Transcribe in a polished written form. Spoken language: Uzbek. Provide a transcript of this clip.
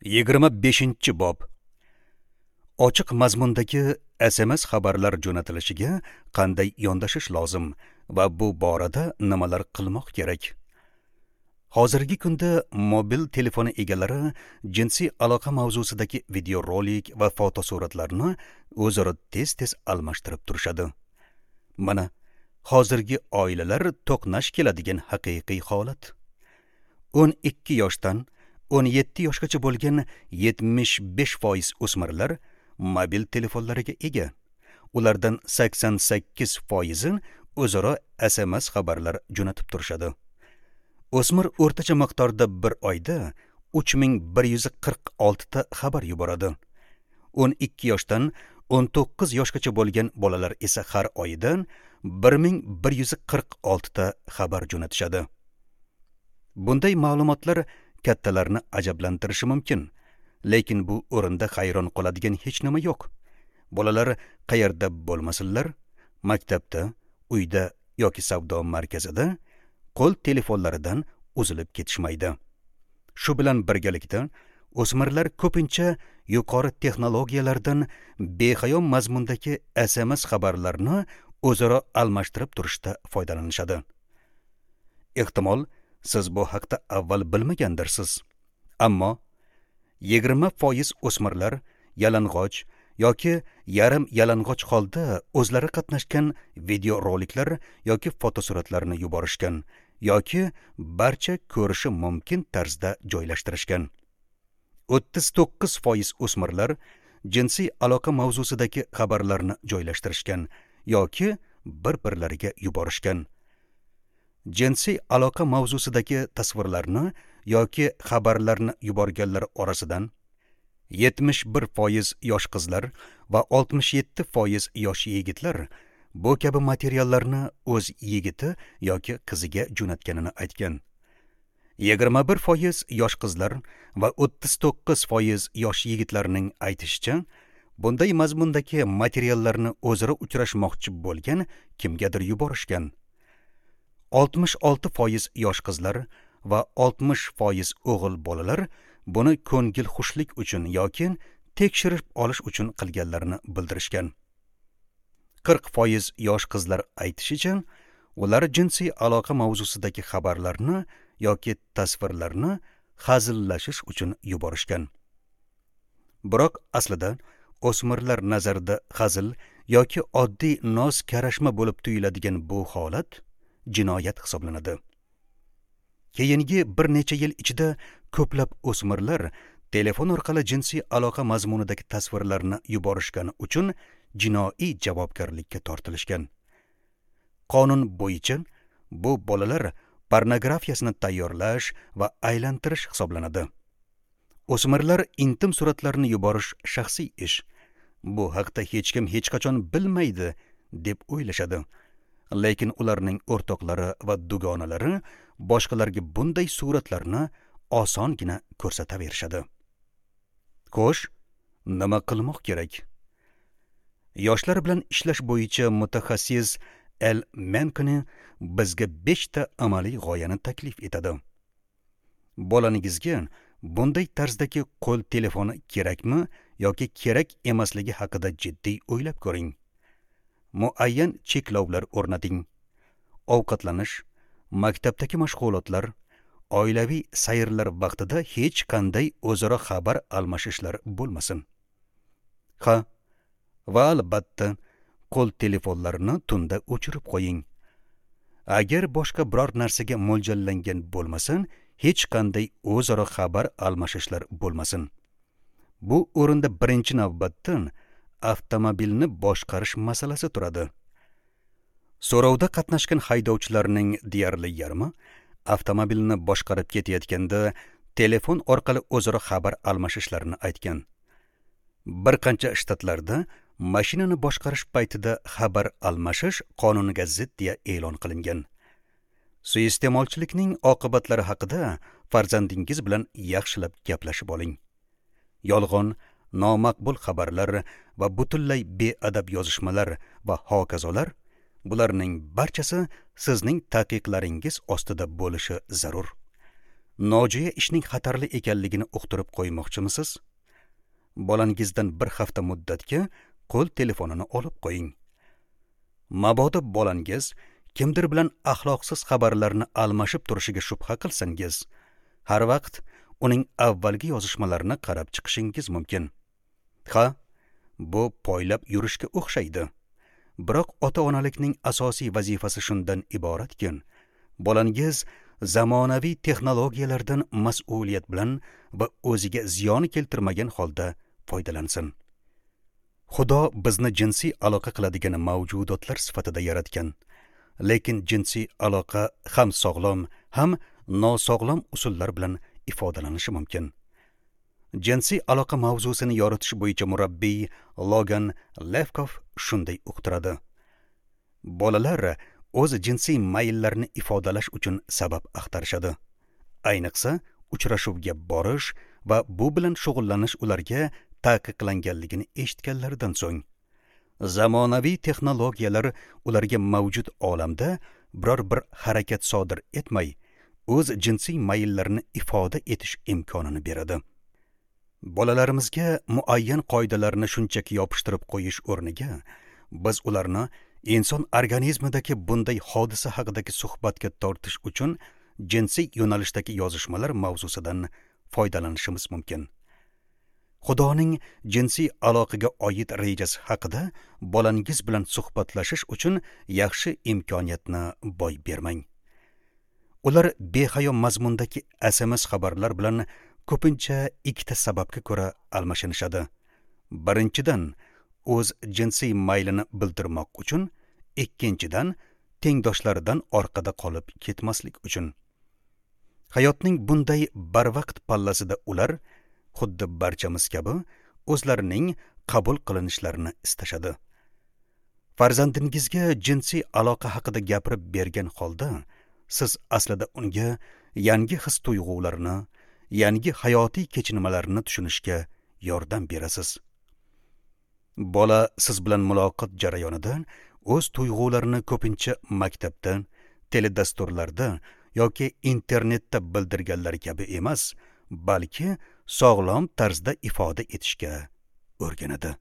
25-bob. Ochiq mazmundagi SMS xabarlar jo'natilishiga qanday yondashish lozim va bu borada nimalar qilmoq kerak? Hozirgi kunda mobil telefoni egalari jinsiy aloqa mavzusidagi videorolik va fotosuratlarni o'zaro tez-tez almashtirib turishadi. Mana hozirgi oilalar to'qnash keladigan haqiqiy holat. 12 yoshdan 17 yoshgacha bo'lgan 75% o'smirlar mobil telefonlariga ega. Ulardan 88% o'zaro SMS xabarlar jo'natib turishadi. O'smir o'rtacha miqdorda bir oyda 3146 ta xabar yuboradi. 12 yoshdan 19 yoshgacha bo'lgan bolalar esa har oyda 1146 ta xabar jo'natishadi. Bunday ma'lumotlar kattalarni ajablantirishi mumkin, lekin bu o'rinda hayron qoladigan hech nima yo'q. Bolalar qayerda bo'lmasinlar, maktabda, uyda yoki savdo markazida qo'l telefonlaridan uzilib ketishmaydi. Shu bilan birgalikda o'smirlar ko'pincha yuqori texnologiyalardan behayo mazmundagi SMS xabarlarni o'zaro almashtirib turishda foydalanishadi. Ehtimol, siz bu haqda avval bilmagandirsiz. Ammo 20% o'smirlar yalang'och yoki yarim yalang'och holda o'zlari qatnashgan videoroliklar yoki fotosuratlarni yuborishgan yoki barcha ko'rishi mumkin tarzda joylashtirishgan. 39% o'smirlar jinsiy aloqa mavzusidagi xabarlarni joylashtirishgan yoki bir-birlariga yuborishgan. Jinsiy aloqa mavzusidagi tasvirlarni yoki xabarlarni yuborganlar orasidan 71% yosh qizlar va 67% yosh yigitlar bu kabi materiallarni o'z yigiti yoki qiziga jo'natganini aytgan. 21% yosh qizlar va 39% yosh yigitlarning aytishicha, bunday mazmundagi materiallarni o'zaro uchrashmoqchi bo'lgan kimgadir yuborishgan. 66% yosh qizlar va 60% o'g'il bolalar buni ko'ngil xushlik uchun yoki tekshirib olish uchun qilganlarini bildirishgan. 40% yosh qizlar aytishicha, ular jinsiy aloqa mavzusidagi xabarlarni yoki tasvirlarni hazillashish uchun yuborishgan. Biroq aslida o'smirlar nazarida hazil yoki oddiy noz karashma bo'lib tuyuladigan bu holat jinoyat hisoblanadi. Keyingi bir necha yil ichida ko'plab o'smirlar telefon orqali jinsiy aloqa mazmunidagi tasvirlarni yuborishgani uchun jinoiy javobgarlikka tortilishgan. Qonun bo'yicha bu bolalar pornografiyasini tayyorlash va aylantirish hisoblanadi. O'smirlar intim suratlarni yuborish shaxsiy ish. Bu haqda hech kim hech qachon bilmaydi deb o'ylashadi. Lekin ularning o'rtoqlari va dugonalari boshqalarga bunday suratlarni osongina ko'rsataverishadi. Xo'sh, nima qilmoq kerak? Yoshlar bilan ishlash bo'yicha mutaxassis El Menkoni bizga 5 ta amaliy g'oyani taklif etadi. Bolaningizga bunday tarzdagi qo'l telefoni kerakmi yoki kerak emasligi haqida jiddiy o'ylab ko'ring. Muayyan cheklovlar o'rnating. Ovqatlanish, maktabdagi mashg'ulotlar, oilaviy sayrlar vaqtida hech qanday o'zaro xabar almashishlar bo'lmasin. Ha, va albatta qo'l telefonlarini tunda o'chirib qo'ying. Agar boshqa biror narsaga mo'ljallangan bo'lmasa, hech qanday o'zaro xabar almashishlar bo'lmasin. Bu o'rinda birinchi navbatda avtomobilni boshqarish masalasi turadi. So'rovda qatnashgan haydovchilarning deyarli yarmi avtomobilni boshqarib ketayotganda telefon orqali o'zaro xabar almashishlarini aytgan. Bir qancha shtatlarda mashinani boshqarish paytida xabar almashish qonunga zid deya e'lon qilingan. Suiiste'molchilikning oqibatlari haqida farzandingiz bilan yaxshilab gaplashib oling. Yolg'on, nomaqbul xabarlar va butunlay beadab yozishmalar va hokazolar, bularning barchasi sizning taqiqlaringiz ostida bo'lishi zarur. nojo'ya ishning xatarli ekanligini uqtirib qo'ymoqchimisiz? Bolangizdan bir hafta muddatga qo'l telefonini olib qo'ying. Mabodo bolangiz kimdir bilan axloqsiz xabarlarni almashib turishiga shubha qilsangiz, har vaqt uning avvalgi yozishmalarini qarab chiqishingiz mumkin. Ha, bu poylab yurishga o'xshaydi. Biroq ota-onalikning asosiy vazifasi shundan iboratki, bolangiz zamonaviy texnologiyalardan mas'uliyat bilan va o'ziga ziyon keltirmagan holda foydalansin. Xudo bizni jinsiy aloqa qiladigan mavjudotlar sifatida yaratgan. Lekin jinsiy aloqa ham sog'lom, ham nosog'lom usullar bilan ifodalanishi mumkin. Jinsiy aloqa mavzusini yoritish bo'yicha murabbiy Logan Levkov shunday uqtiradi: bolalar o'z jinsiy mayllarini ifodalash uchun sabab axtarishadi. Ayniqsa, uchrashuvga borish va bu bilan shug'ullanish ularga taqiqlanganligini eshitganlaridan so'ng. Zamonaviy texnologiyalar ularga mavjud olamda biror bir harakat sodir etmay, o'z jinsiy mayllarini ifoda etish imkonini beradi. Bolalarimizga muayyan qoidalarni shunchaki yopishtirib qo'yish o'rniga, biz ularni inson organizmidagi bunday hodisa haqidagi suhbatga tortish uchun jinsiy yo'nalishdagi yozishmalar mavzusidan foydalanishimiz mumkin. Xudoning jinsiy aloqaga oid rejasi haqida bolangiz bilan suhbatlashish uchun yaxshi imkoniyatni boy bermang. Ular behayo mazmundagi SMS xabarlar bilan ko'pincha ikkita sababga ko'ra almashinishadi. Birinchidan, o'z jinsiy maylini bildirmoq uchun, ikkinchidan, tengdoshlaridan orqada qolib ketmaslik uchun. Hayotning bunday barvaqt pallasida ular xuddi barchamiz kabi o'zlarining qabul qilinishlarini istashadi. Farzandingizga jinsiy aloqa haqida gapirib bergan holda, siz aslida unga yangi his-tuyg'ularni, yangi hayotiy kechinmalarni tushunishga yordam berasiz. Bola siz bilan muloqot jarayonida o'z tuyg'ularini ko'pincha maktabda, teledasturlarda yoki internetda bildirganlar kabi emas, balki sog'lom tarzda ifoda etishga o'rganadi.